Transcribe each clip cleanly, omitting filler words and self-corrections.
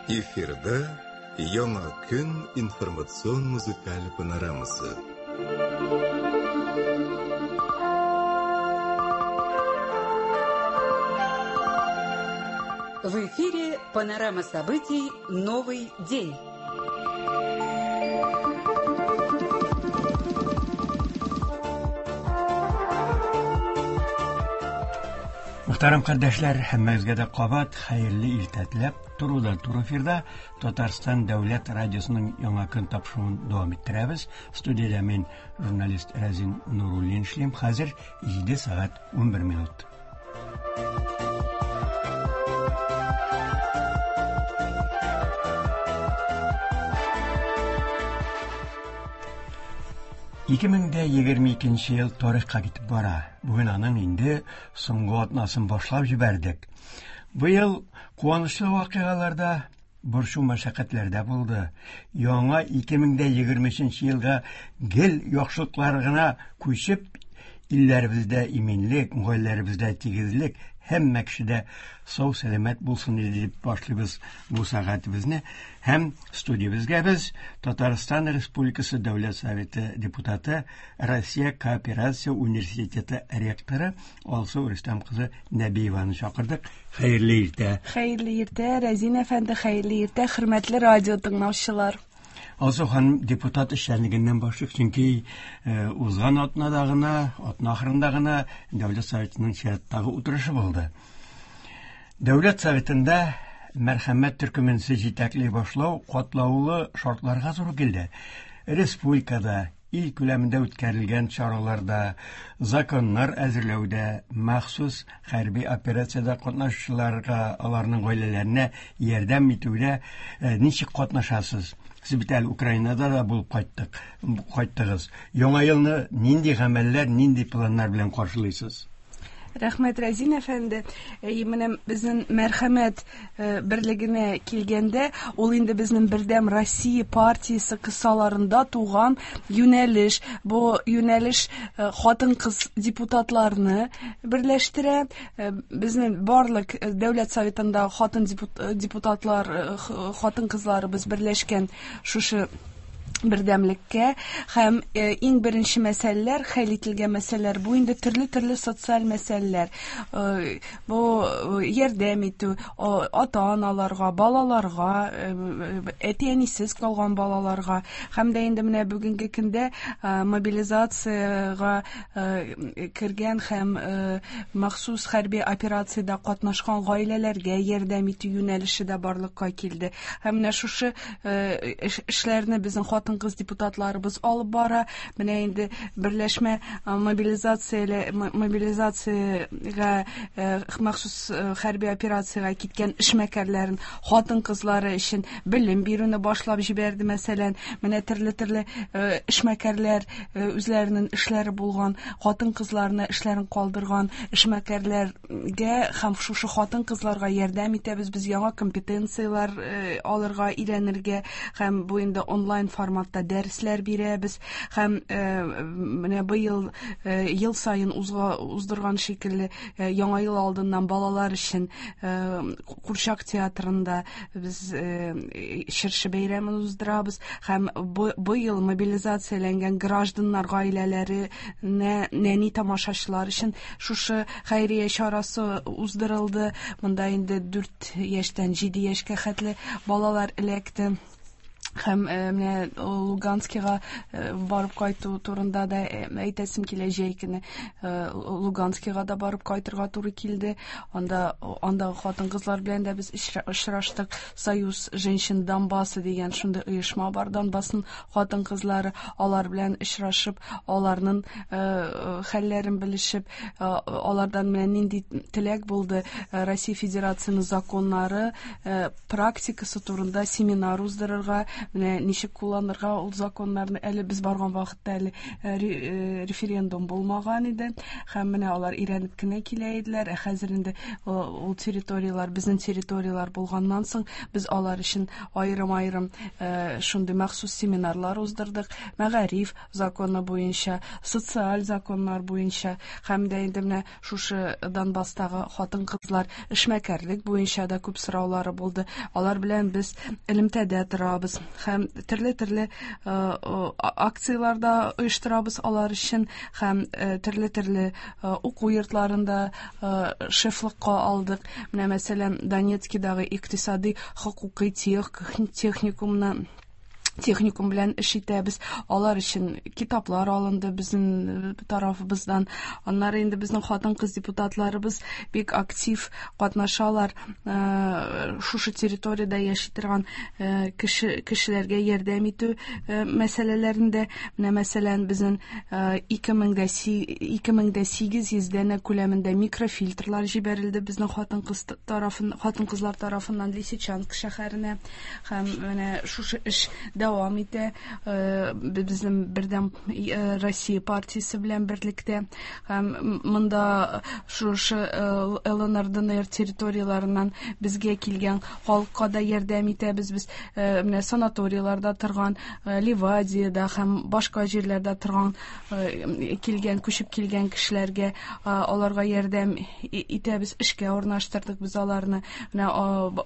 Эфирда Яңа көн информацион музыкаль панорамасы. В эфире панорама событий «Новый день». Мөхтәрәм кардәшләр, һәммәгезгә дә кабат хәерле иртә теләп, турыдан туры эфирда Татарстан дәүләт радиосының Яңа көн тапшыруын дәвам иттерәбез. Студиядә мин, журналист Рәзин Нуруллин эшлим. Хәзер 7 сәгать 11 минут. 2022 ел тарихка китеп бара. Бүген аның инде соңгы атнасын башлап җибәрдек. Быел куанычлы вакыйгалар да, борчу мәшәкатьләр дә булды. Яңа 2023 елга гел яхшылыклар гына күчеп, илләребездә иминлек, гаиләләребездә тигезлек, һәммә кешедә сау сәламәт булсын иде дип башлыйбыз бу сәгатебезне. Һәм студиябезгә без Татарстан Республикасы Дәүләт Советы депутаты, Россия кооперация университеты ректоры Алсу Рөстәм кызы Нәбиеваны чакырдык. Хәерле иртә. Хәерле иртә, Рәзин әфәнде, хәерле иртә, хөрмәтле радио тыңлаучылар. Алсу ханым, депутат эшчәнлегеннән башлыйк, чөнки узган атнада гына, атна ахырында гына Дәүләт Советының чираттагы утырышы булды. Дәүләт Советында мәрхәмәт төркемен җитәкли башлау катлаулы шартларга туры килде. Республикада ил күләмендә үткәрелгән чараларда, законнар әзерләүдә, махсус хәрби операциядә катнашучыларга, аларның гаиләләренә ярдәм итүдә ничек катнашасыз? Сез бит әле Украинада да булып кайттык, кайттыгыз. Яңа елны нинди гамәлләр, нинди планнар белән каршылыйсыз? Рәхмәт, Рәзин әфәнде. Әй, менә безнең мәрхәмәт берлегенә килгәндә, ул инде безнең Бердәм Россия партиясе кысаларында туган юнәлеш. Бу юнәлеш хатын-кыз депутатларны берләштерә. Безнең барлык Дәүләт Советында хатын депутатлар, хатын-кызларыбыз берләшкән шушы бердәмлеккә һәм иң беренче мәсьәләләр, хәл ителгән мәсьәләләр, бу инде төрле-төрле социаль мәсьәләләр. Бу ярдәм итү ата-аналарга, балаларга, әти-әнисез калган балаларга һәм дә инде менә бүгенге көндә мобилизациягә кергән һәм махсус хәрби операциядә катнашкан гаиләләргә ярдәм итү юнәлеше дә барлыкка килде. Һәм менә шушы эшләрне безнең хатын-кыз депутатларыбыз алып бара. Менә инде берләшмә мобилизациягә махсус хәрби операциягә киткән эшмәкәрләрен хатын-кызлары өчен белем бирүне башлап җибәрде, мәсәлән. Менә төрле-төрле эшмәкәрләр үзләренең эшләре булган хатын-кызларны эшләрен калдырган эшмәкәрләр гә һәм шушы хатын-кызларга ярдәм итәбез. Без яңа компетенцияләр алырга, өйрәнергә һәм бу инде онлайн форматта дәресләр бирәбез. Һәм менә быел ел саен уздырган шикелле Яңа ел алдыннан балалар өчен Курчак театрында без чыршы бәйрәмен уздырабыз. Һәм быел мобилизацияләнгән гражданнар гаиләләренә нәни тамашачылар өчен шушы хәйрия чарасы уздырылды. Монда инде 4 яшьтән 7 яшькә хәтле балалар эләкте. Һәм менә Луганскига барып кайту турында да әйтәсем килә. Җәй көне Луганскига да барып кайтырга туры килде. Анда андагы хатын-кызлар белән дә без очраштык. Союз женщин Донбасса дигән шундый оешма бар. Донбассның хатын-кызлары, алар белән очрашып, аларның хәлләрен белешеп, алардан менә нинди теләк булды, Россия Федерациясенең законнары, практикасы турында семинар уздырырга. Менә ничек кулланырга ул законнарны, әле без барган вакытта әле референдум булмаган иде. Һәм менә алар өйрәнеп кенә килә иделәр. Ә хәзер инде ул территорияләр безнең территорияләр булганнан соң, без алар өчен аерым-аерым шундый махсус семинарлар уздырдык. Мәгариф законы буенча, социаль законнар буенча һәм дә инде менә шушы Донбасстагы хатын-кызлар эшмәкәрлек буенча да күп сораулары булды. Алар белән без элемтәдә торабыз һәм төрле-төрле акцияләр дә оештырабыз алар өчен һәм төрле-төрле уку йортларында шефлыкка алдык. Менә, мәсәлән, Донецкидагы икътисади хокукый техникумны техникум белән эш итәбез. Алар өчен китаплар алынды безнең тарафыбыздан. Аннары инде безнең хатын-кыз депутатларыбыз бик актив катнашалар. Шушы территориядә яши торган кешеләргә ярдәм итү мәсьәләләрендә. Менә, мәсәлән, безнең 2800 данә күләмендә микрофильтрлар җибәрелде безнең хатын-кызлар тарафыннан Лисичанск шәһәренә. Һәм менә шушы эш дәвам итә безнең Бердәм Россия партиясе белән берлектә. Һәм монда шушы ЛНР, ДНР территорияләреннән безгә килгән халыкка да ярдәм итәбез. Без менә санаторийларда торган, Ливадиядә һәм башка җирләрдә торган килгән, күчеп килгән кешеләргә, аларга ярдәм итәбез, эшкә урнаштырдык без аларны. Менә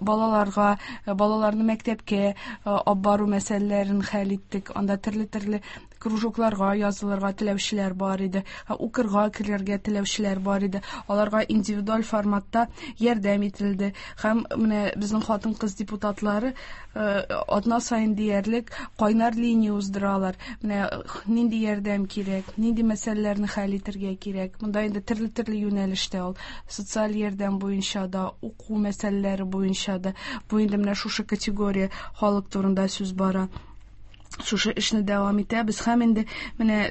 балаларга, балаларны мәктәпкә алып бару мәсьәләләрен хәл иттек. Анда төрле-төрле кружокларга язылырга теләүчеләр бар иде, укырга керергә теләүчеләр бар иде. Аларга индивидуаль форматта ярдәм ителде. Һәм менә безнең хатын-кыз депутатлары атна саен диярлек кайнар линия уздыралар. Менә нинди ярдәм кирәк, нинди мәсьәләләрне хәл итәргә кирәк. Монда инде төрле-төрле юнәлештә ул. Социаль ярдәм буенча да, уку мәсьәләләре буенча да. Бу инде менә шушы категория халык турында сүз бара. Шушы эшне дәвам итәбез һәм инде менә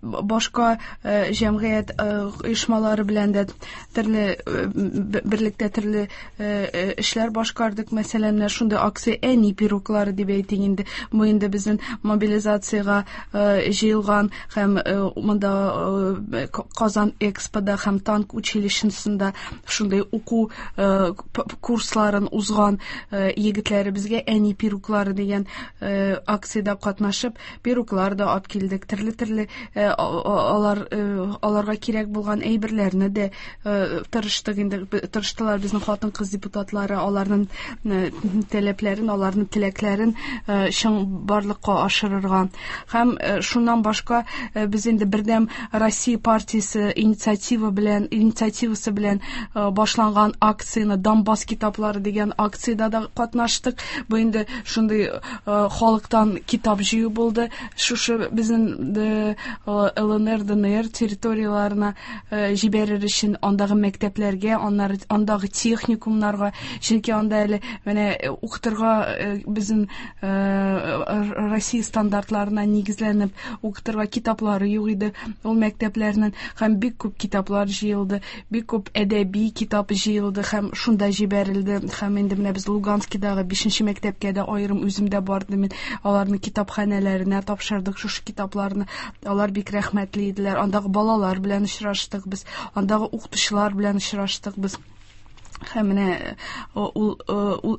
башка җәмгыять оешмалары белән дә төрле берлектә төрле эшләр башкардык. Мәсәлән, менә шундый акция әни пироглары дип әйтик инде. Бу инде безнең мобилизациягә җыелган һәм монда Казан Экспода һәм танк училищесында шундый уку курсларын узган егетләребезгә әни пироглары дигән акциядә катнашып, пироглар да алып килдек. Төрле-төрле алар аларга кирәк булган әйберләрне дә тырыштык инде, тырыштылар безнең хатын-кыз депутатлары аларның таләпләрен, аларның теләкләрен чын барлыкка ашырырга. Һәм шуннан башка без инде Бердәм Россия партиясе инициативасы белән башланган акцияне Донбасс китаплары дигән акциядә дә катнаштык. Бу инде шундый халыктан китап җыю булды. Шушы безнең ЛНР, ДНР территорияләренә җибәрер өчен андагы мәктәпләргә, аннары андагы техникумнарга, чөнки анда әле менә укытырга безнең Россия стандартларына нигезләнеп укытырга китаплары юк иде ул мәктәпләрнең, һәм бик күп китаплар җыелды, бик күп әдәби китап җыелды һәм шунда җибәрелде. Һәм инде менә без Луганскидагы 5нче мәктәпкә дә аерым үзем дә бардым мин, аларны китапханәләренә тапшырдык шушы китапларны. Алар бик рәхмәтле иделәр. Андагы балалар белән очраштык без, андагы укытучылар белән очраштык без. Һәм менә ул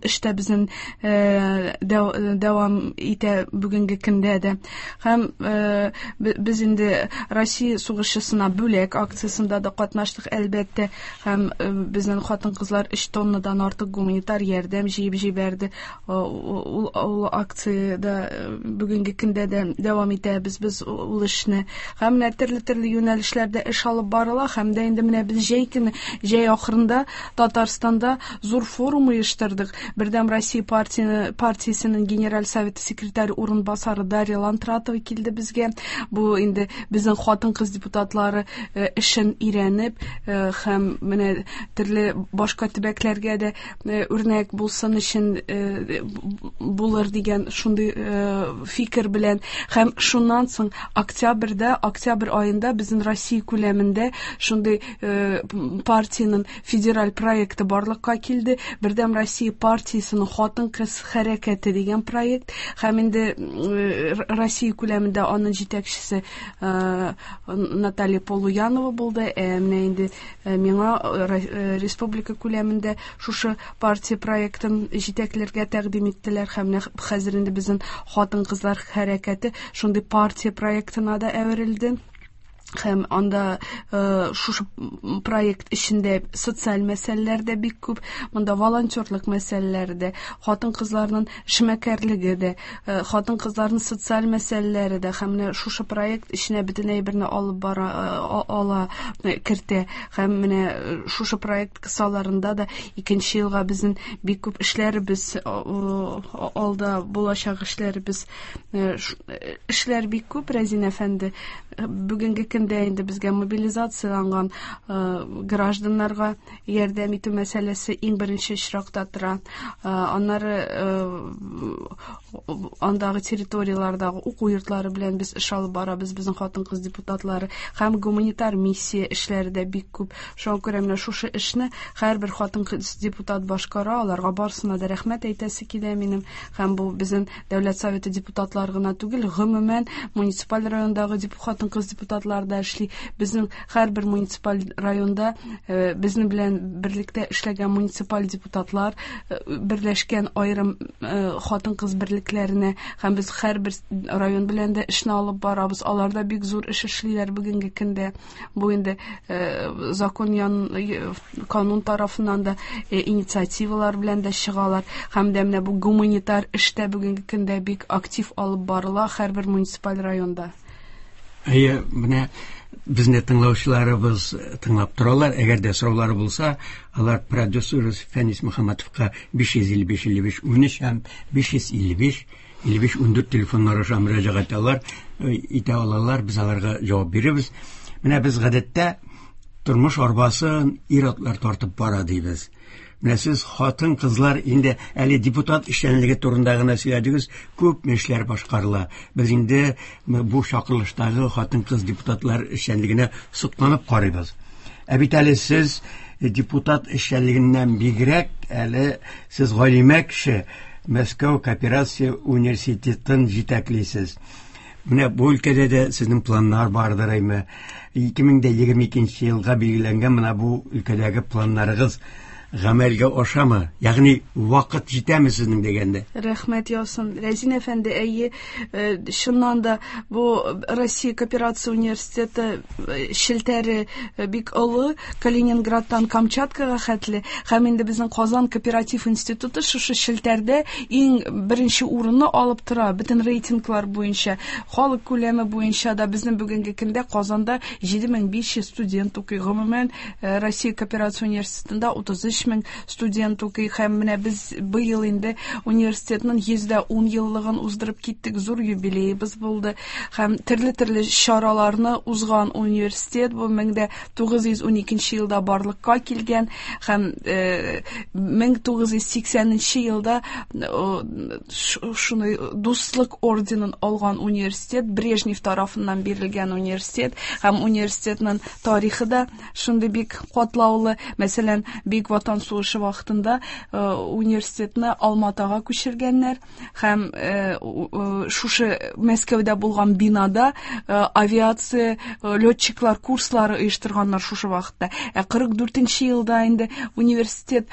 эштә безнең дәвам итә бүгенге көндә дә. Һәм без инде Россия сугышчысына бүләк акциясендә дә катнаштык, әлбәттә. Һәм безнең хатын-кызлар 3 тоннадан артык гуманитар ярдәм җыеп җибәрде. Ул акциядә бүгенге көндә дә дәвам итәбез без ул эшне. Һәм менә төрле-төрле юнәлешләрдә эш алып барыла. Һәм дә инде менә без җәй көне, җәй ахырында Татарстанда зур форум оештырдык. Бердәм Россия партиясенең Генераль советы секретаре урынбасары Дарья Лантратова килде безгә. Бу инде безнең хатын-кыз депутатлары эшен өйрәнеп, һәм менә төрле башка төбәкләргә дә үрнәк булсын өчен булыр дигән шундый фикер белән. Һәм шуннан соң октябрь аенда безнең Россия күләмендә шундый партиянең федераль проекты проекты барлыкка килде. Бердәм Россия партиясенең хатын-кыз хәрәкәте дигән проект һәм инде Россия күләмендә аның җитәкчесе Наталья Полуянова булды. Ә менә инде миңа республика күләмендә шушы партия проектын җитәкләргә тәкъдим иттеләр һәм менә хәзер инде безнең хатын-кызлар хәрәкәте шундый партия проектына да әверелде. Һәм анда шушы проект эчендә социаль мәсьәләләр дә бик күп. Монда волонтерлык мәсьәләләре дә, хатын-кызларның эшмәкәрлеге дә, хатын-кызларның социаль мәсьәләләре дә һәм менә шушы проект эченә бөтен әйберне алып бара, ала, кертә. Һәм менә шушы проект кысаларында да икенче елга безнең бик күп эшләребез алда булачак эшләребез. Эшләр бик күп, Рәзин әфәнде. Бүгенге көндә инде безгә мобилизацияланган гражданнарга ярдәм итү мәсьәләсе иң беренче очракта тора. Аннары андагы территорияләрдәге уку йортлары белән без эш алып барабыз, безнең хатын-кыз депутатлары һәм гуманитар миссия эшләре дә бик күп. Шуңа күрә менә шушы эшне һәрбер хатын-кыз депутат башкара, аларга барысына да рәхмәт әйтәсе килә минем. Һәм бу безнең Дәүләт Советы депутатлары гына түгел, гомумән муниципаль райондагы хатын-кыз депутатлары да эшли. Безнең һәрбер муниципаль районда безнең белән берлектә эшләгән муниципаль депутатлар берләшкән аерым хатын-кыз берлекләренә һәм без һәрбер район белән дә эшне алып барабыз. Алар да бик зур эш эшлиләр бүгенге көндә. Бу инде закон ян канун тарафыннан да инициативалар белән дә чыгалар. Һәм дә менә бу гуманитар эш тә бүгенге көндә бик актив алып барыла һәрбер муниципаль районда. Әйе, менә безне тыңлаучыларыбыз тыңлап торалар. Әгәр дә сораулары булса, алар продюсерыбыз Фәнис Мөхәммәтовка 555 55 13 һәм 555 55 14 телефоннары аша мөрәҗәгать алар итә алалар. Без аларга җавап бирербез. Менә без гадәттә тормыш арбасын ир-атлар тартып бара дибез. Менә сез хатын-кызлар инде әле депутат эшчәнлеге турында гына сөйләдегез, күп эшләр башкарыла. Без инде бу чакырылыштагы хатын-кыз депутатлар эшчәнлегенә сокланып карыйбыз. Ә бит әле сез депутат эшчәнлегеннән бигрәк әле сез галимә кеше, Мәскәү кооперация университетын җитәклисез. Менә бу өлкәдә дә сезнең планнар бардыр, әйме? 2022 елга билгеләнгән менә бу өлкәдәге планнарыгыз гамәлгә ашамы? Ягъни вакыт җитәме сезнең дигәндә? Рәхмәт яусын. Рәзин әфәнде, әйе, чыннан да бу Россия кооперация университеты челтәре бик олы, Калининградтан Камчаткага хәтле, һәм инде безнең Казан кооператив институты шушы челтәрдә иң беренче урынны алып тора, бөтен рейтинглар буенча, халык күләме буенча да безнең бүгенге көндә Казанда 7500 студент укый. Гомумән, Россия кооперация университетында 33 мең студент укый һәм менә без быел инде университетның 110 еллыгын уздырып киттек, зур юбилеебыз булды һәм төрле-төрле чараларны узган университет бу 1912 елда барлыкка килгән һәм 1980 елда шуны дуслык орденын алган университет, Брежнев тарафыннан бирелгән университет һәм университетның тарихы да шундый бик катлаулы. Мәсәлән, Бөек Ватан сугышы вакытында университетны Алматага күчергәннәр һәм шушы Мәскәүдә булган бинада авиация летчиклар курслары оештырганнар шушы вакытта. Ә 44 елда инде университет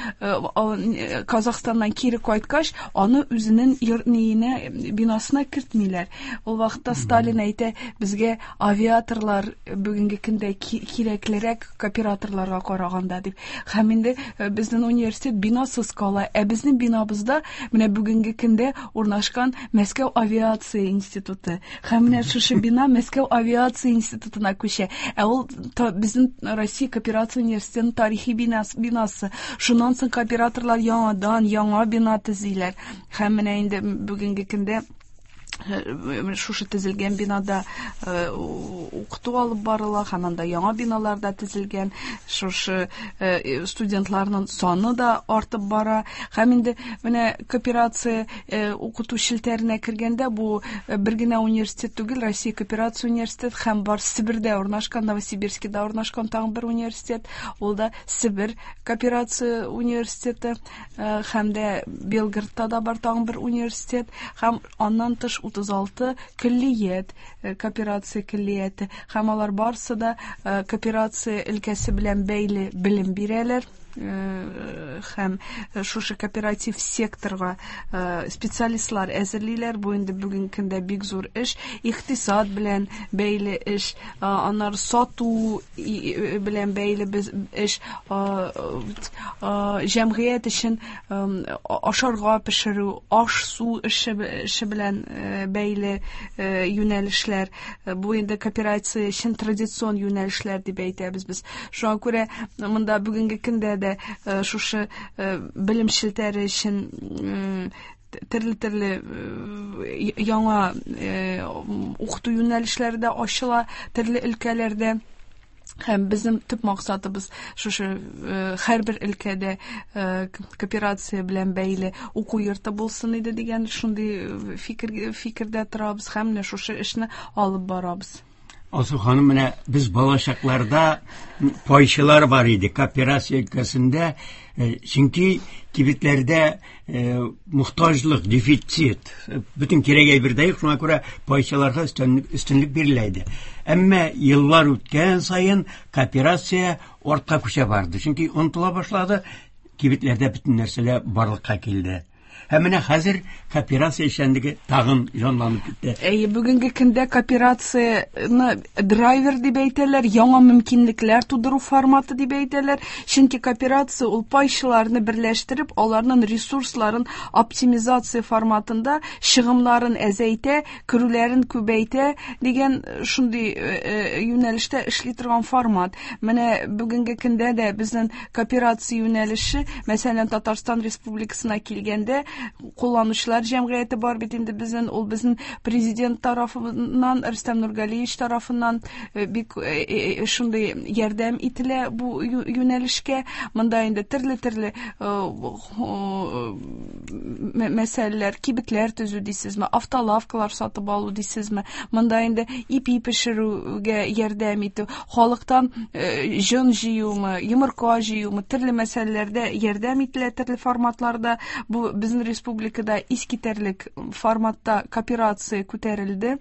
Казахстаннан кире кайткач, аны үзенең ниенә, бинасына кертмиләр. Ул вакытта Сталин әйтә, безгә авиаторлар бүгенге көндә кирәклерәк кооператорларга караганда дип. Һәм инде безнең университет бинасыз кала. Ә безнең бинабызда менә бүгенге көндә урнашкан Мәскәү авиация институты. Һәм менә шушы бина Мәскәү авиация институтына күчә. Ә ул безнең Россия кооперация университетының тарихи бинасы. Шуннан соң кооператорлар яңадан яңа бина төзиләр. Һәм менә инде бүгенге көндә Шушы төзелгән бинада укыту алып барыла һәм анда яңа биналар да төзелгән. Шушы студентларның саны да артып бара. Һәм инде менә кооперация укыту челтәренә кергәндә, бу бер генә университет түгел, Россия кооперация университеты һәм бар Себердә урнашкан, Новосибирскида урнашкан тагын бер университет, ул да Себер кооперация университеты, һәм дә Белгородта да бар тагын бер университет, һәм аннан тыш 36 көллият, кооперация көллияте, һәм алар барысы да кооперация өлкәсе белән бәйле белем бирәләр, һәм шушы кооператив секторга специалистлар әзерлиләр. Бу инде бүгенге көндә бик зур эш, икътисад белән бәйле эш, аннары сату белән бәйле эш, җәмгыять өчен ашарга пешерү, аш-су эше белән бәйле юнәлешләр. Бу инде кооперация өчен традицион юнәлешләр дип әйтәбез без. Шуңа күрә монда бүгенге көндә дә шушы белем челтәре өчен төрле-төрле яңа укыту юнәлешләре дә ачыла төрле өлкәләрдә. Һәм безнең төп максатыбыз шушы һәрбер өлкәдә кооперация белән бәйле уку йорты булсын иде дигән шундый фикердә торабыз һәм менә шушы эшне алып барабыз. Алсу ханым, менә без балачакларда пайчылар бар иде кооперация өлкәсендә, чөнки кибетләрдә мохтаҗлык, дефицит, бөтен кирәк әйбер дә юк, шуңа күрә пайчыларга өстенлек бирелә иде. Әмма еллар үткән саен кооперация артка күчә барды, чөнки онытыла башлады, кибетләрдә бөтен нәрсәләр барлыкка килде. Һәм менә хәзер кооперация эшчәнлеге тагын җанланып китте. Әйе, бүгенге көндә кооперацияне драйвер дип әйтәләр, яңа мөмкинлекләр тудыру форматы дип әйтәләр. Чөнки кооперация ул пайчыларны берләштереп, аларның ресурсларын оптимизация форматында чыгымнарын әзәйтә, керүләрен күбәйтә дигән шундый юнәлештә эшли торган формат. Менә бүгенге көндә дә безнең кооперация юнәлеше, мәсәлән, Татарстан Республикасына килгәндә, кулланучылар җәмгыяте бар бит инде безнең, ул безнең президент тарафыннан, Рөстәм Нургалиевич тарафыннан бик шундый ярдәм ителә бу юнәлешкә. Монда инде төрле-төрле мәсьәләләр, кибетләр төзү дисезме, автолавкалар сатып алу дисезме, монда инде ипи пешерүгә ярдәм итү, халыктан җон җыюмы, йомырка җыюмы, төрле мәсьәләләрдә ярдәм ителә төрле форматларда. Бу безнең республикада искитәрлек форматта кооперация күтәрелде.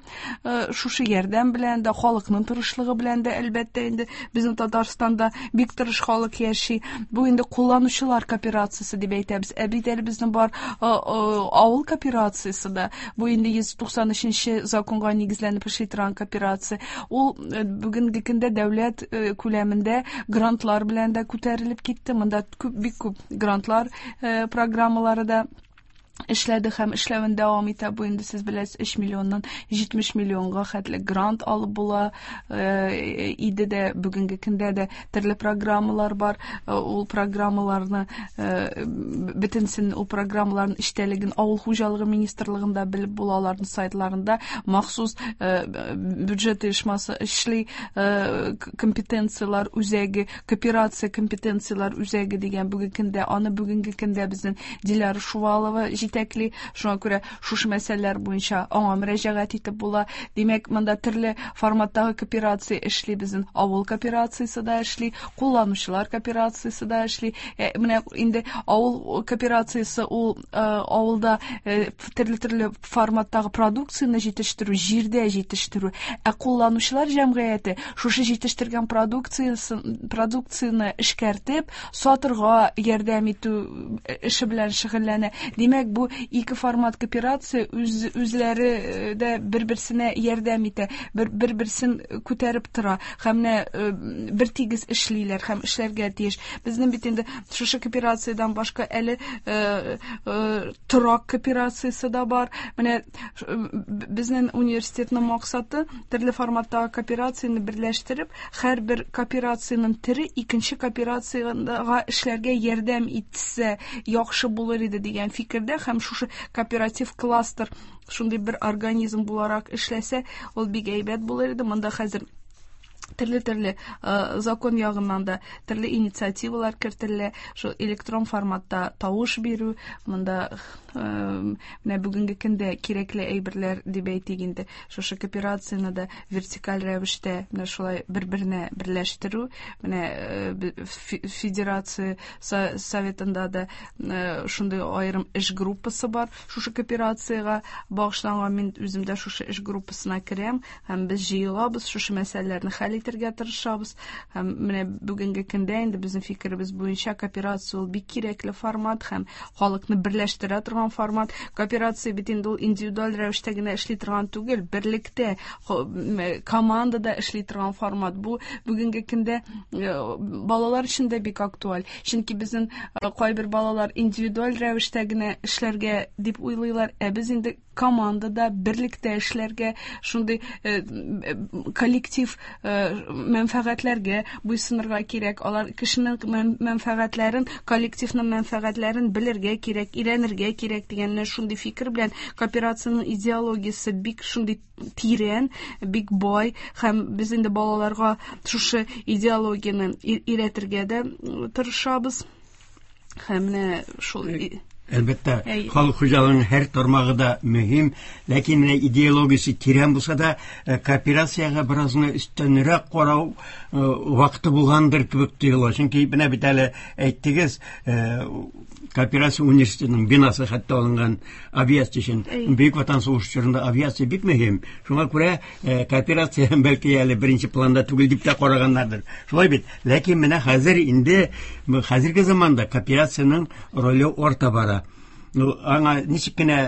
Шушы ярдәм белән дә, халыкның тырышлыгы белән дә, әлбәттә инде безнең Татарстанда бик тырыш халык яши. Бу инде кулланучылар кооперациясе дип әйтәбез. Ә бит әле безнең бар авыл кооперациясе дә. Бу инде 193 законга нигезләнеп эшли торган кооперация. Ул бүгенге көндә дәүләт күләмендә грантлар белән дә күтәрелеп китте. Монда бик күп грантлар программалары да эшләде һәм эшләвен дәвам итә. Бу инде сез беләсез, 3 миллионнан 70 миллионга хәтле грант алып була иде дә, бүгенге көндә дә төрле программалар бар. Ул программаларны бөтенсен, ул программаларның эчтәлеген Авыл хуҗалыгы министрлыгында белеп була, аларның сайтларында махсус бюджет оешмасы эшли, компетенцияләр үзәге, кооперация компетенцияләр үзәге дигән бүгенге көндә, аны бүгенге көндә безнең Диляра Шувалова җитәкли. Шуңа күрә шушы мәсьәләләр буенча аңа мөрәҗәгать итеп була. Димәк, монда төрле форматтагы кооперация эшли, безнең авыл кооперациясе дә эшли, кулланучылар кооперациясе дә эшли. Менә инде авыл кооперациясе ул авылда төрле-төрле форматтагы продукцияне җитештерү, җирдә җитештерү. Ә кулланучылар җәмгыяте шушы җитештергән продукцияне эшкәртеп, сатырга ярдәм итү эше белән шөгыльләнә. Димәк, бу ике формат кооперация үзләре дә бер-берсенә ярдәм итә, бер-берсен күтәреп тора һәм менә бер тигез эшлиләр һәм эшләргә тиеш. Безнең бит инде шушы кооперациядән башка әле торак кооперациясе дә бар. Менә безнең университетның максаты төрле форматтагы кооперацияне берләштереп, һәрбер кооперациянең төре икенче кооперациягә эшләргә ярдәм итсә яхшы булыр иде дигән фикердә һәм шушы кооператив кластер шундый бер организм буларак эшләсә, ул бик әйбәт булыр иде. Монда хәзер төрле-төрле закон ягыннан да төрле инициативалар кертелә. Шул электрон форматта тавыш бирү, монда менә бүгенге көндә кирәкле әйберләр дип әйтик инде. Шушы кооперацияне дә вертикаль рәвештә менә шулай бер-беренә берләштерү, менә Федерация Советында да шундый аерым эш группасы бар. Шушы кооперациягә багышланган мин үзем дә шушы эш группасына керәм һәм без җыелабыз, шушы мәсьәләләрне хәл итәргә тырышабыз. Һәм менә бүгенге көндә инде безнең фикеребез буенча кооперация ул бик кирәкле формат һәм халыкны берләштерә торган формат. Кооперация бит инде ул индивидуаль рәвештә генә эшли торган түгел, берлектә, командада эшли торган формат. Бу бүгенге көндә балалар өчен дә бик актуаль. Чөнки безнең кайбер балалар индивидуаль рәвештә генә эшләргә дип уйлыйлар, ә без инде командада, берлектә эшләргә, шундый коллектив мәнфәгатьләргә буйсынырга кирәк. Алар кешенең мәнфәгатьләрен, коллективның мәнфәгатьләрен белергә кирәк, өйрәнергә кирәк дигән менә шундый фикер белән кооперациянең идеологиясе бик шундый тирән, бик бай һәм без инде балаларга шушы идеологияне өйрәтергә дә тырышабыз. Һәм менә шул Әлбәттә, халык хуҗалыгының һәр тармагы да мөһим, ләкин менә идеологиясе тирән булса да, кооперациягә бераз гына өстәнрәк карау вакыты булгандыр кебек тоела. Чөнки менә бит әле әйттегез, кооперация университетының бинасы хәтта алынган авиация өчен. Бөек Ватан сугышы чорында авиация бик мөһим. Шуңа күрә кооперация бәлки әле беренче планда түгел дип тә караганнардыр. Шулай бит. Ләкин менә хәзер инде хәзерге заманда кооперациянең роле арта бара. Ну, аңа ничек кенә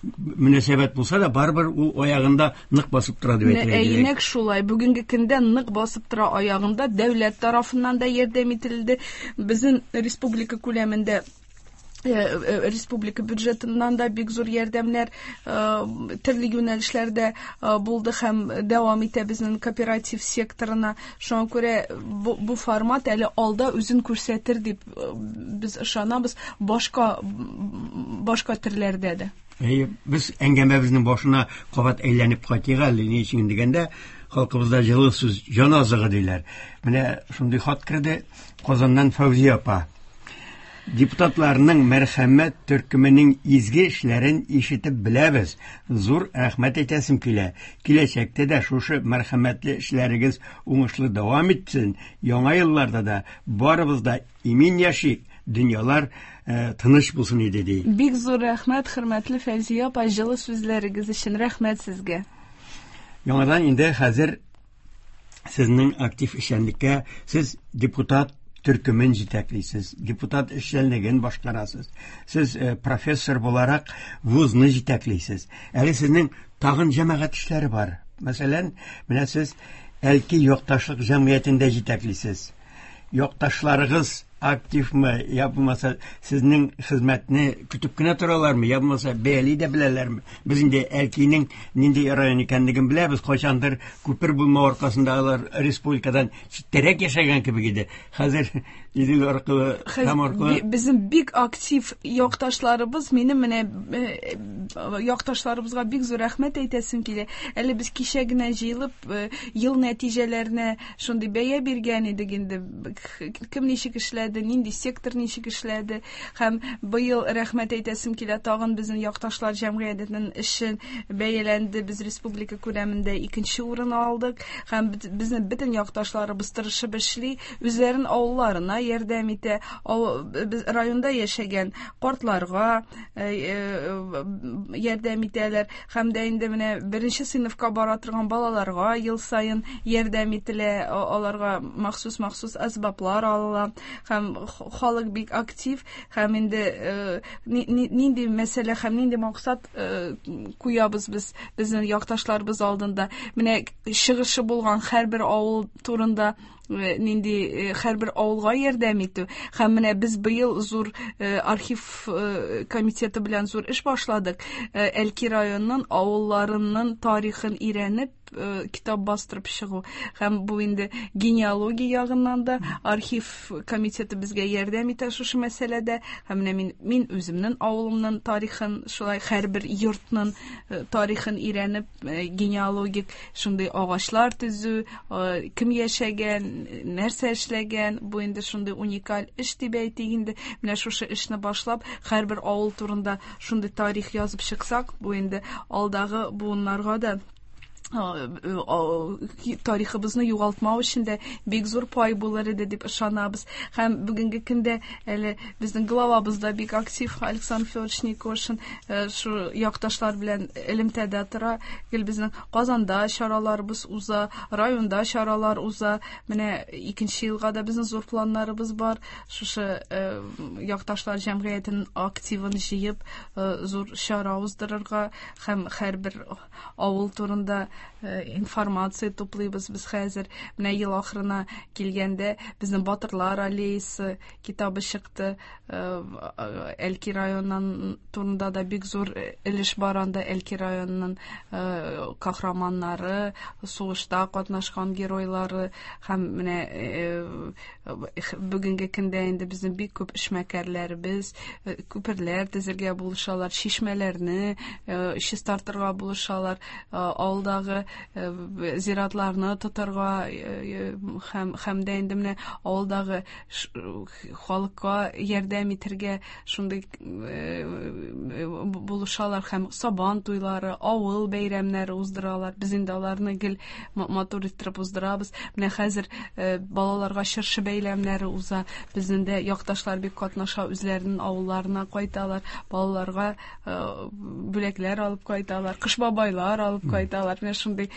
мөнәсәбәт булса да, барыбер ул аягында нык басып тора дип әйтергә кирәк. Нәкъ шулай. Бүгенге көндә нык басып тора аягында. Дәүләт тарафыннан да ярдәм ителде. Безнең республика күләмендә республика бюджетыннан да бик зур ярдәмнәр төрле юнәлешләрдә булды һәм дәвам итә безнең кооператив секторына. Шуңа күрә бу формат әле алда үзен күрсәтер дип без ышанабыз, башка башка төрләрдә дә. Әйе, без әңгәмәбезнең башына кабат әйләнеп кайтыйк әле, ни өчен дигәндә, халкыбызда җылы сүз җан азыгы диләр. Менә шундый хат керде Казаннан Фәүзия апа. Депутатларның мәрхәмәт төркеменең изге эшләрен ишетеп беләбез. Зур рәхмәт әйтәсем килә. Киләчәктә дә шушы мәрхәмәтле эшләрегез уңышлы дәвам итсен. Яңа елларда да барыбыз да имин яшик, дөньялар тыныч булсын иде, ди. Бик зур рәхмәт, хөрмәтле Фәүзия апа, җылы сүзләрегез өчен рәхмәт сезгә. Яңадан инде хәзер сезнең актив эшчәнлеккә, сез депутат төркемен җитәклисез, депутат эшчәнлеген башкарасыз. Сез профессор буларак вузны җитәклисез. Әле сезнең тагын җәмәгать эшләре бар. Мәсәлән, менә сез Әлки якташлык җәмгыятендә җитәклисез. Якташларыгыз активмы, я булмаса сезнең хезмәтне көтеп кенә торалармы, я булмаса бәяли дә беләләрме? Без инде Әлкинең нинди район икәнлеген беләбез. Кайчандыр күпер булмау аркасында алар республикадан читтәрәк яшәгән кебек иде. Хәзер Идел аркылы, Кама аркылы. Безнең бик актив якташларыбыз, минем менә якташларыбызга бик зур рәхмәт әйтәсем килә. Әле без кичә генә җыелып, ел нәтиҗәләренә шундый бәя биргән идек инде. Кем ничек эшләде, нинди сектор ничек эшләде. Һәм быел рәхмәт әйтәсем килә, тагын безнең якташлар җәмгыятенең эше бәяләнде. Без республика күләмендә икенче урын алдык. Һәм безнең бөтен якташларыбыз тырышып эшли, үзләрен авылларына ярдәм итә, без районда яшәгән картларга ярдәм итәләр. Һәм дә инде менә беренче сыйныфка бара торган балаларга ел саен ярдәм ителә, аларга махсус-махсус әсбаплар алына. Һәм халык бик актив, һәм инде нинди мәсьәлә һәм нинди максат куябыз без безнең якташларыбыз алдында. Менә чыгышы булган һәрбер авыл турында Нинди һәрбер авылга ярдәм итү. Һәм менә без быел зур архив комитеты белән зур эш башладык. Әлки районының авылларының тарихын өйрәнеп, китап бастырып чыгу. Һәм бу инде генеалогия ягыннан да архив комитеты безгә ярдәм итә шушы мәсьәләдә. Һәм менә мин үземнең авылымның тарихын, шулай һәрбер йортның тарихын өйрәнеп, генеалогик шундый агачлар төзү, кем яшәгән, нәрсә эшләгән, бу инде шундый уникаль эш дип әйтик инде. Менә шушы эшне башлап, һәрбер авыл турында шундый тарих язып чыксак, бу инде алдагы буыннарга да тарихыбызны югалтмау өчен дә бик зур пай булыр иде дип ышанабыз. Һәм бүгенге көндә әле безнең главабыз да бик актив Александр Федорович Никошин шу якташлар белән элемтәдә тора. Гел безнең Казанда чараларыбыз уза, районда чаралар уза. Менә икенче елга да безнең зур планнарыбыз бар. Шушы якташлар җәмгыятенең активын җыеп, зур чара уздырырга һәм һәрбер авыл турында информация туплыйбыз без хәзер. Менә ел ахырына килгәндә безнең Батырлар аллеясы китабы чыкты. Әлки районыннан турында да бик зур өлеш бар анда. Әлки районының каһарманнары, сугышта катнашкан геройлары һәм менә бүгенге көндә инде безнең бик күп эшмәкәрләребез күперләр төзергә булышалар, чишмәләрне чистартырга булышалар, авылдагы зиратларны тотарга һәм дә инде менә авылдагы халыкка ярдәм итәргә шундый булышалар һәм сабан туйлары, авыл бәйрәмнәре уздыралар. Без инде аларны гел матур иттереп уздырабыз. Менә хәзер балаларга чыршы бәйрәмнәре уза. Безнең дә якташлар бик катнаша, үзләренең авылларына кайталар, балаларга бүләкләр алып кайталар, кыш бабайлар алып кайталар. Менә шундый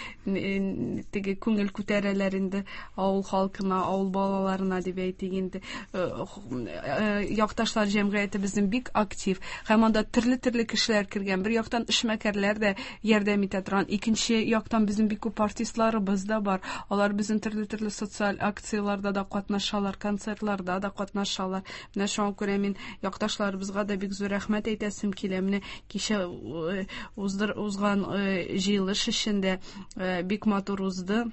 теге күңел күтәрәләр инде авыл халкына, авыл балаларына дип әйтик инде. Якташлар җәмгыяте безнең бик актив. Һәм анда төрле-төрле кешеләр кергән. Бер яктан эшмәкәрләр дә ярдәм итә торган, икенче яктан безнең бик күп артистларыбыз да бар. Алар безнең төрле-төрле социаль акцияләрдә дә катнашалар, концертларда да катнашалар. Менә шуңа күрә мин якташларыбызга да бик зур рәхмәт әйтәсем килә. Менә кичә узган җыелыш эчендә бик матур узды.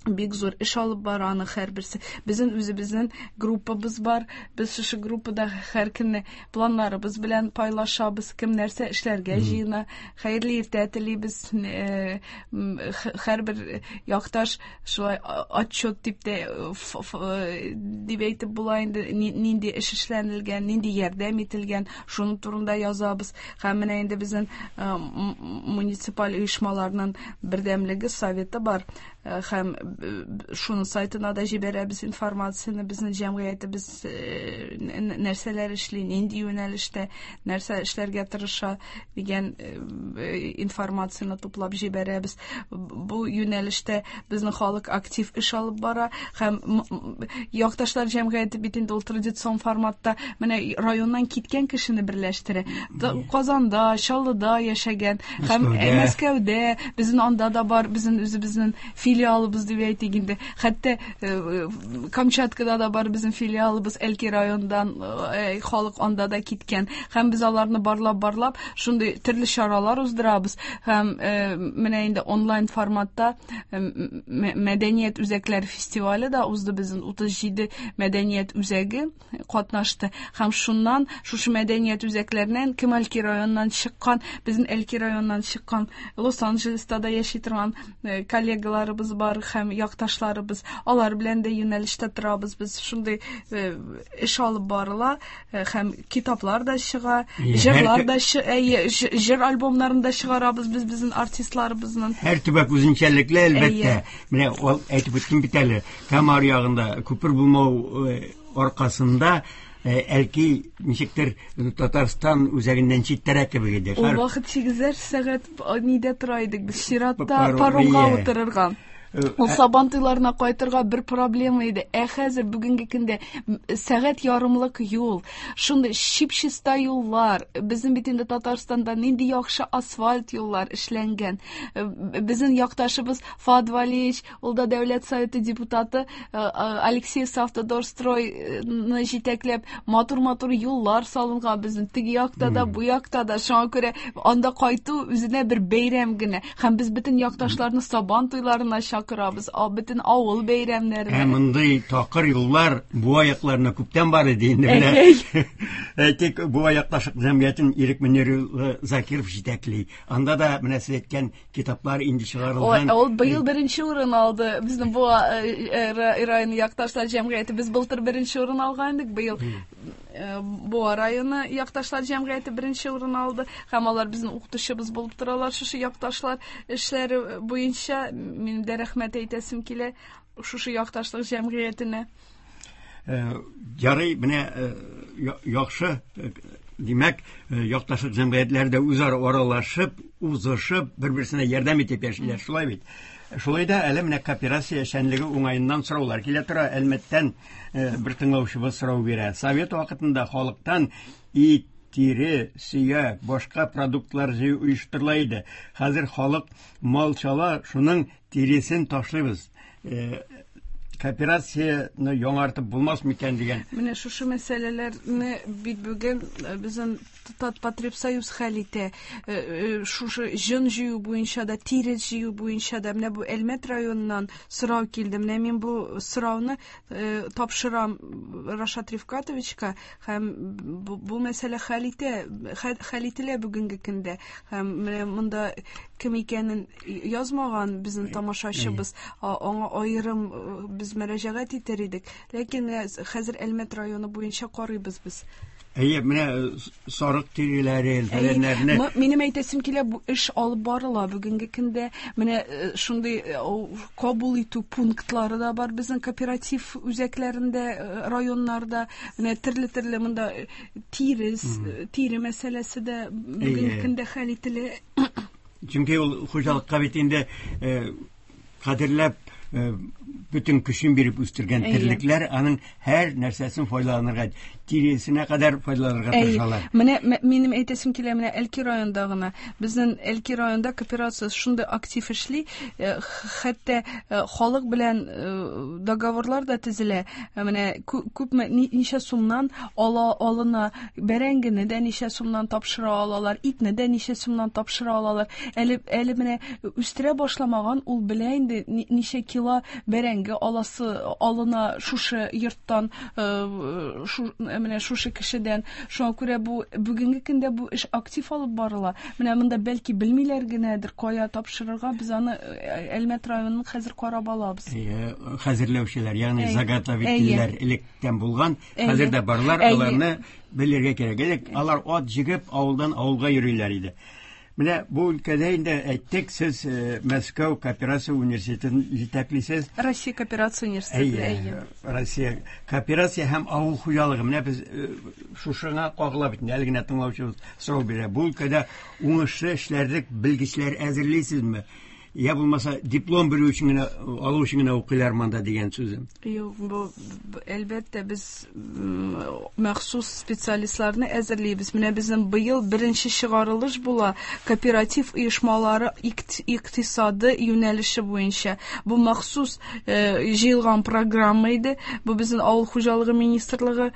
Бик зур эш алып бара аны һәрберсе. Безнең үзебезнең группабыз бар. Без шушы группада һәр көнне планнарыбыз белән пайлашабыз, кем нәрсә эшләргә җыена. Хәерле иртә телибез. Һәрбер якташ шулай отчет дип тә дип әйтеп була инде, нинди эш эшләнелгән, нинди ярдәм ителгән, шуның турында язабыз. Һәм менә инде безнең муниципаль оешмаларның бердәмлеге советы бар. Һәм шуның сайтына да җибәрәбез информацияне, безнең җәмгыятебез нәрсәләр эшли, нинди юнәлештә, нәрсә эшләргә тырыша дигән информацияне туплап җибәрәбез. Бу юнәлештә безнең халык актив эш алып бара һәм якташлар җәмгыяте бит инде ул традицион форматта менә районнан киткән кешене берләштерә. Казанда, Чаллыда яшәгән һәм Мәскәүдә, безнең анда да бар, безнең үзебезнең филиалыбыз дип әйтик инде. Хәтта Камчаткада да бар безнең филиалыбыз, Әлки районыннан халык анда да киткән. Һәм без аларны барлап-барлап шундый төрле чаралар уздырабыз. Һәм менә инде онлайн форматта мәдәният үзәкләре фестивале да узды, безнең 37 мәдәният үзәге катнашты. Һәм шуннан, шушы мәдәният үзәкләреннән кем Әлки районыннан чыккан, безнең Әлки районыннан чыккан, Лос-Анджелеста да яши торган коллегаларыбыз бар һәм якташларыбыз, алар белән дә юнәлештә торабыз. Без шундый эш алып барыла, һәм китаплар да чыга, җырлар да җыр альбомнарын да чыгарабыз без безнең артистларыбызның. Һәр төбәк үзенчәлекле, әлбәттә. Менә ул әйтеп үттем бит әле, Кама ягында күпер булмау аркасында Әлки ничектер Татарстан үзәгеннән читтәрәк кебек иде. Ул вакыт 8 сәгать нидә тора идек без, чиратта паромга утырырга. Ул Сабан туйларына кайтырга бер проблема иде. Ә хәзер бүгенге көндә сәгать ярымлык юл, шундый чип-чиста юллар. Безнең бит инде Татарстанда нинди яхшы асфальт юллар эшләнгән. Безнең якташыбыз Фад Валиевич, ул да Дәүләт Советы депутаты, Алексеевск Автодорстройны җитәкләп, матур-матур юллар салынган безнең теге якта да, бу якта да. Шуңа күрә анда кайту үзенә бер бәйрәм генә. Һәм без бөтен якташларны Сабан туйларына чакырабыз, бөтен авыл бәйрәмнәренә. Ә мондый такыр юллар Буа якларына күптән бар иде инде менә. Әйтик, Буа якташлык җәмгыятен Ирек Мөнир улы Закиров җитәкли. Анда да менә сез әйткән китаплар инде чыгарылган. Ул быел беренче урын алды. Безнең Буа районы якташлар җәмгыяте. Без былтыр беренче урын алган идек, быел Буа районы якташлар җәмгыяте беренче урын алды. Һәм алар безнең укытучыбыз булып торалар шушы якташлар эшләре буенча. Минем дә рәхмәт әйтәсем килә шушы якташлык җәмгыятенә. Ярый, менә яхшы, димәк, якташлык җәмгыятьләре дә үзара аралашып, узышып, бер-берсенә ярдәм итеп яшиләр, шулай бит? Шулай да әле менә кооперация эшчәнлеге уңаеннан сораулар килә тора. Әлмәттән бер тыңлаучыбыз сорау бирә. Совет вакытында халыктан ит, тире, сөяк, башка продуктлар җыю оештырыла иде. Хәзер халык мал чала, шуның тиресен ташлыйбыз. Кооперацияне яңартып булмас микән дигән. Менә шушы мәсьәләләрне бит бүген безнең Татпотребсоюз хәл итә. Шушы җон җыю буенча да, тире җыю буенча да менә бу Әлмәт районыннан сорау килде. Менә мин бу сорауны тапшырам Рашат Рифкатовичка һәм бу мәсьәлә хәл итә, хәл ителә бүгенге көндә. Һәм менә монда кем икәнен язмаган безнең тамашачыбыз, аңа аерым без мөрәҗәгать итәр идек. Ләкин хәзер Әлмәт районы буенча карыйбыз без. Әйе, менә сарык тиреләре, фәләннәрне. Минем әйтәсем килә, бу эш алып барыла бүгенге көндә. Менә шундый кабул итү пунктлары да бар безнең кооператив үзәкләрендә, районнарда. Менә төрле-төрле монда тирес, тире мәсьәләсе дә бүгенге көндә хәл ителә. Чөнки ул хуҗалыкка бит инде кадерләп бөтен көчен биреп үстергән терлекләр аның һәр нәрсәсен файдаланырга, тиресенә кадәр файдаланырга тырышалар. Менә минем әйтәсем килә, менә Әлки районында гына. Безнең Әлки районында кооперация шундый актив эшли, хәтта халык белән договорлар да төзелә. Менә күпме, ничә сумнан ала алына, бәрәңгене дә ничә сумнан тапшыра алалар, итне дә ничә сумнан тапшыра алалар. Әле, әле менә үстерә башламаган, ул белә инде ничә кило бәрәңге аласы алына шушы йорттан, менә шушы кешедән. Шуңа күрә бу бүгенге көндә бу эш актив алып барыла. Менә монда бәлки белмиләр генәдер, кая тапшырырга, без аны Әлмәт районын хәзер карап алабыз. Хәзерләүчеләр, ягъни заготовительләр электән булган, хәзер дә барлар, аларны белергә кирәк. Элек алар ат җигеп авылдан авылга йөриләр иде. Менә бу өлкәдә инде әйттек, сез Мәскәү кооперация университетын җитәклисез. Россия кооперация университеты, әйе. Россия кооперация һәм авыл хуҗалыгы. Менә без шушыңа кагыла бит. Әле генә тыңлаучыбыз сорау бирә. Бу өлкәдә уңышлы эшләрлек белгечләр әзерлисезме? Я булмаса диплом бирү өчен генә, алу өчен генә укыйлар монда дигән сүзем. Юк, бу әлбәттә без махсус специалистларны әзерлибез. Менә безнең быел беренче чыгарылыш була кооператив оешмалары икътисады юнәлеше буенча. Бу махсус җыелган программа иде. Бу безнең авыл хуҗалыгы министрлыгы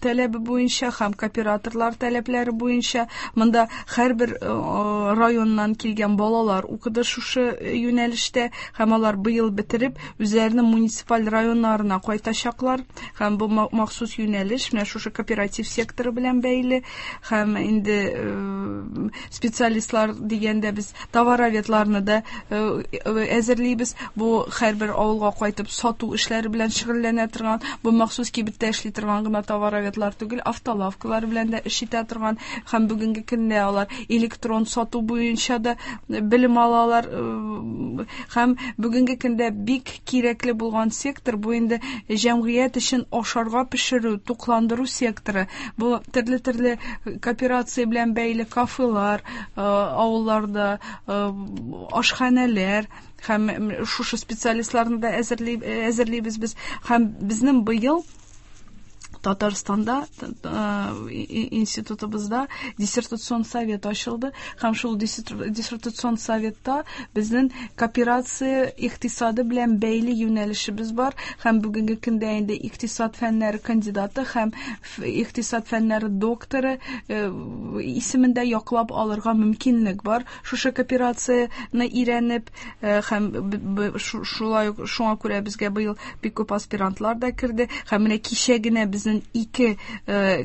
таләбе буенча һәм кооператорлар таләпләре буенча. Монда һәрбер районнан килгән балалар укыды шушы юнәлештә һәм алар быел бетереп үзләренең муниципаль районнарына кайтачаклар. Һәм бу махсус юнәлеш менә шушы кооператив секторы белән бәйле. Һәм инде специалистлар дигәндә без товароведларны да әзерлибез. Бу һәрбер авылга кайтып сату эшләре белән шөгыльләнә торган, бу махсус кибеттә эшли торган гына товароведлар түгел, автолавкалар белән дә эш итә торган. Һәм бүгенге көндә алар электрон сату буенча да белем алалар. Һәм бүгенге көндә бик кирәкле булган сектор бу инде җәмгыять өчен ашарга пешерү, тукландыру секторы. Бу төрле-төрле кооперация белән бәйле кафелар, авылларда ашханәләр һәм шушы специалистларны да әзерлибез без. Һәм безнең быел Татарстанда институтыбызда диссертацион совет ачылды һәм шул диссертацион советта безнең кооперация икътисады белән бәйле юнәлешебез бар һәм бүгенге көндә инде икътисад фәннәре кандидаты һәм икътисад фәннәре докторы исемендә яклап алырга мөмкинлек бар. Шушы кооперацияне өйрәнеп һәм шулай ук шуңа күрә безгә быел бик күп аспирантлар да керде һәм менә кичә генә безнең ике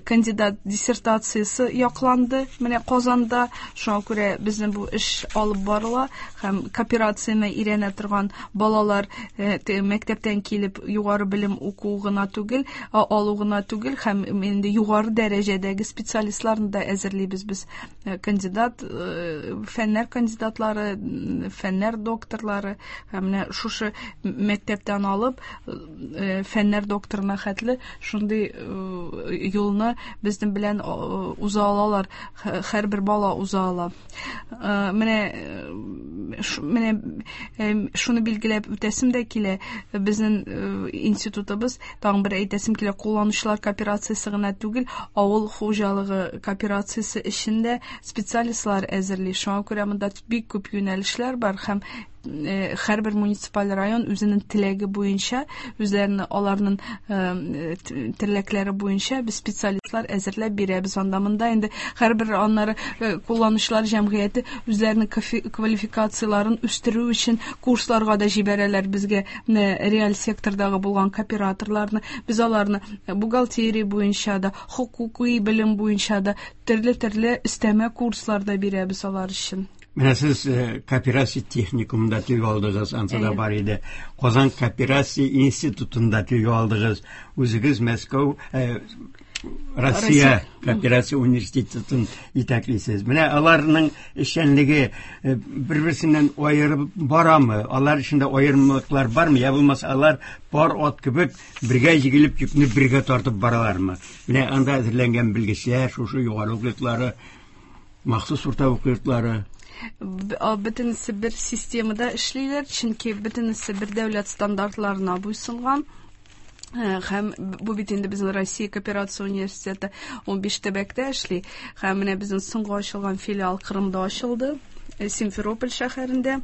кандидат диссертациясе якланды менә Казанда. Шуңа күрә безнең бу эш алып барыла һәм кооперацияне өйрәнә торган балалар мәктәптән килеп югары белем уку гына түгел, алу гына түгел, һәм инде югары дәрәҗәдәге специалистларны да әзерлибез без. Кандидат, фәннәр кандидатлары, фәннәр докторлары һәм менә шушы мәктәптән алып фәннәр докторына хәтле шундый юлны безнең белән уза алалар, һәрбер бала уза ала. Менә менә шуны билгеләп үтәсем дә килә, безнең институтыбыз, тагын бер әйтәсем килә, кулланучылар кооперациясе гына түгел, авыл хуҗалыгы кооперациясе өчен дә специалистлар әзерли. Шуңа күрә монда бик күп юнәлешләр бар һәм һәрбер муниципаль район үзенең теләге буенча, үзләренең аларның теләкләре буенча без специалистлар әзерләп бирәбез. Анда монда инде һәрбер аннары кулланучылар җәмгыяте үзләренең квалификацияләрен үстерү өчен курсларга да җибәрәләр безгә реаль сектордагы булган кооператорларны. Без аларны бухгалтерия буенча да, хокукый белем буенча да төрле-төрле өстәмә курслар да бирәбез алар өчен. Менә сез кооперация техникумында телгә алдыгыз, ансы да бар иде. Казан кооперация институтында телгә алдыгыз. Үзегез Мәскәү, Россия кооперация университетын итәклисез. Менә аларның эшчәнлеге бер-берсеннән аерып барамы? Алар эчендә аерымлыклар бармы? Я булмаса, алар пар ат кебек бергә җигелеп, йөкне бергә тартып баралармы? Менә анда әзерләнгән белгечләр, шушы югары уку йортлары, махсус урта уку йортлары. Бөтенесе бер системада эшлиләр, чөнки бөтенесе бер дәүләт стандартларына буйсынган. Һәм бу бит инде безнең Россия кооперация университеты 15 төбәктә эшли. Һәм менә безнең соңгы ачылган филиал Кырымда ачылды, Симферополь шәһәрендә.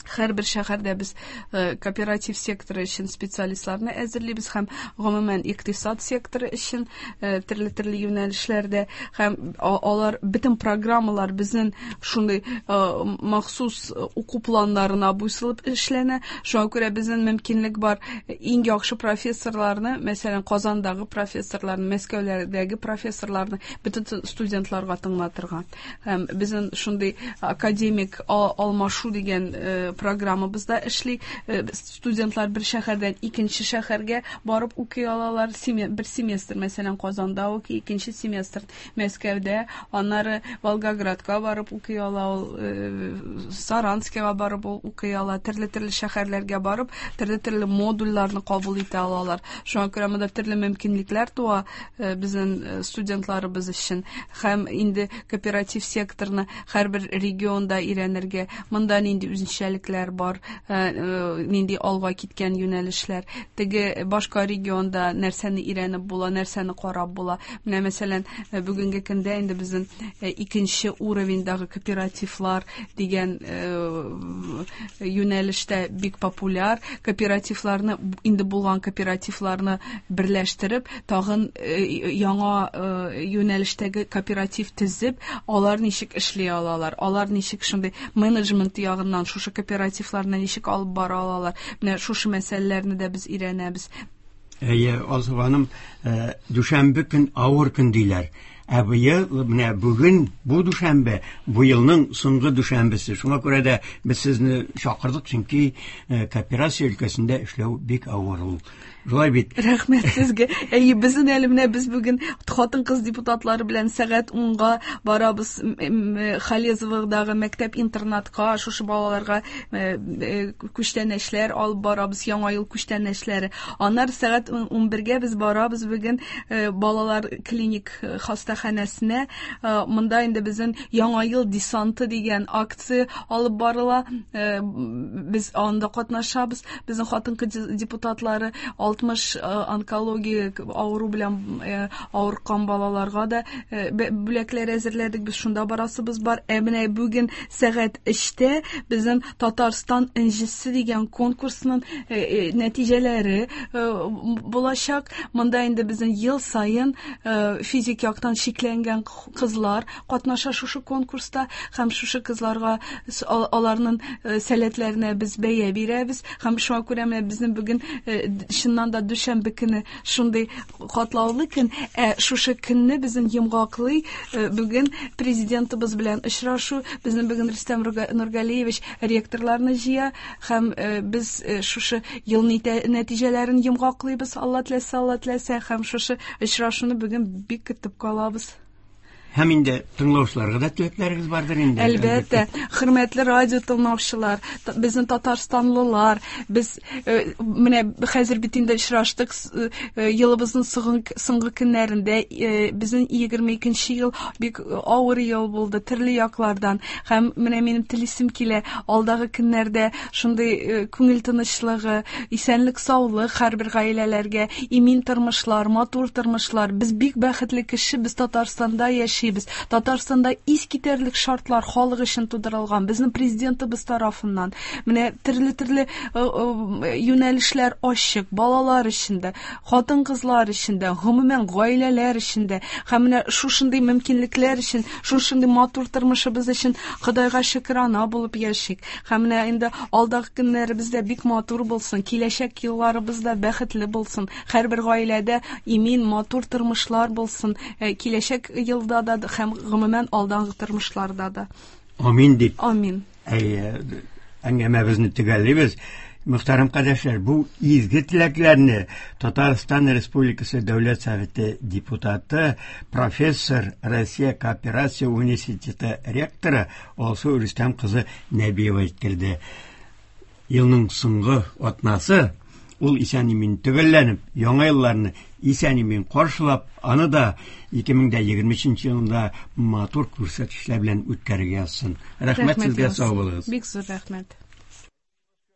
Һәрбер шәһәрдә без кооператив секторы өчен специалистларны әзерлибез һәм гомумән икътисад секторы өчен төрле-төрле юнәлешләрдә, һәм алар бөтен программалар безнең шундый махсус уку планнарына буйсынып эшләнә. Шуңа күрә безнең мөмкинлек бар иң яхшы профессорларны, мәсәлән, Казандагы профессорларны, Мәскәүләрдәге профессорларны бөтен студентларга тыңлатырга. Һәм безнең шундый академик алмашу дигән программабызда эшли. Студентлар бер шәһәрдән икенче шәһәргә барып укый алалар. Бер семестр, мәсәлән, Казанда укый, икенче семестр Мәскәүдә, аннары Волгоградка барып укый ала ул, Саранскига барып ул укый ала, төрле-төрле шәһәрләргә барып, төрле-төрле модульләрне кабул итә алалар. Шуңа күрә монда төрле мөмкинлекләр туа безнең студентларыбыз өчен. Һәм инде кооператив секторны һәрбер регионда өйрәнергә, монда нинди үзенчәлекләр бар, нинди алга киткән юнәлешләр, теге башка регионда нәрсәне өйрәнеп була, нәрсәне карап була. Менә мәсәлән, бүгенге көндә инде безнең икенче уровеньдагы кооперативлар дигән юнәлештә бик популяр. Кооперативларны, инде булган кооперативларны берләштереп, тагын яңа юнәлештәге кооператив төзеп, алар ничек эшли алалар, алар ничек шундый менеджмент ягыннан шушы кооперативларны ничек алып бара алалар. Менә шушы мәсьәләләрне дә без өйрәнәбез. Әйе, Алсу ханым, дүшәмбе көн авыр көн диләр. Ә быел менә бүген бу дүшәмбе, бу елның соңгы дүшәмбесе. Шуңа күрә дә без сезне чакырдык, чөнки кооперация өлкәсендә эшләү бик авыр ул. Шулай бит. Рәхмәт сезгә. Әйе, безнең әле менә без бүген хатын-кыз депутатлары белән сәгать 10-га барабыз Халезоводагы мәктәп-интернатка, шушы балаларга күчтәнәчләр алып барабыз, яңа ел күчтәнәчләре. Аннары сәгать 11-гә без барабыз бүген балалар клиник хастаханәсенә. Монда инде безнең Яңа ел десанты дигән акция алып барыла. Без анда катнашабыз. Безнең хатын-кыз депутатлары 60 онкология авыру белән авыркан балаларга да бүләкләр әзерләдек. Без шунда барасыбыз бар. Ә менә бүген сәгать 3-тә безнең Татарстан энҗесе дигән конкурсның нәтиҗәләре булачак. Монда инде безнең ел саен физик яктан чикләнгән кызлар катнаша шушы конкурста һәм шушы кызларга аларның сәләтләренә без бәя бирәбез. Һәм шуңа күрә менә безнең бүген чыннан да дүшәмбе көне шундый катлаулы көн. Ә шушы көнне безнең йомгаклый бүген президентыбыз белән очрашу. Безнең бүген Рөстәм Нургалиевич ректорларны җыя һәм без шушы ел нәтиҗәләрен йомгаклыйбыз, Алла теләсә, Алла теләсә, һәм шушы очрашуны бүген бик көтеп калабыз. Һәм инде тыңлаучыларга да теләкләрегез бардыр инде. Әлбәттә, хөрмәтле радио тыңлаучылар, безнең татарстанлылар, без менә хәзер бит инде очраштык, елыбызның соңгы көннәрендә, безнең 22 ел бик авыр ел булды төрле яклардан. Һәм менә минем телисем килә, алдагы көннәрдә шундый күңел тынычлыгы, исәнлек, саулык һәрбер гаиләләргә, имин тормышлар, матур тормышлар. Без бик бәхетле кеше, без Татарстанда яшибез. Татарстанда искитәрлек шартлар халык өчен тудырылган, безнең президентыбыз тарафыннан. Менә төрле-төрле юнәлешләр ачык, балалар өчен дә, хатын-кызлар өчен дә, гомумән гаиләләр өчен дә. Һәм менә шушындый мөмкинлекләр өчен, шушындый матур тормышыбыз өчен Ходайга шөкрана булып яшик. Һәм менә инде алдагы көннәребез дә бик матур булсын, киләчәк елларыбыз да бәхетле булсын. Һәрбер гаиләдә имин, матур тормышлар булсын. Киләчәк елда да һәм гомумән алдагы тормышларда да. Амин дип. Амин. Әйе, әңгәмәбезне төгәллибез. Мөхтәрәм кардәшләр, бу изге теләкләрне Татарстан Республикасы Дәүләт Советы депутаты, профессор, Россия кооперация университеты ректоры Алсу Рөстәм кызы Нәбиева җиткерде. Елның соңгы атнасы ул исән-имин төгәлләнеп, яңа елларны исән-имин каршылап, аны да 2023 елында матур күрсәткечләр белән үткәрергә язсын. Рәхмәт сезгә, сау булыгыз. Бик зур рәхмәт.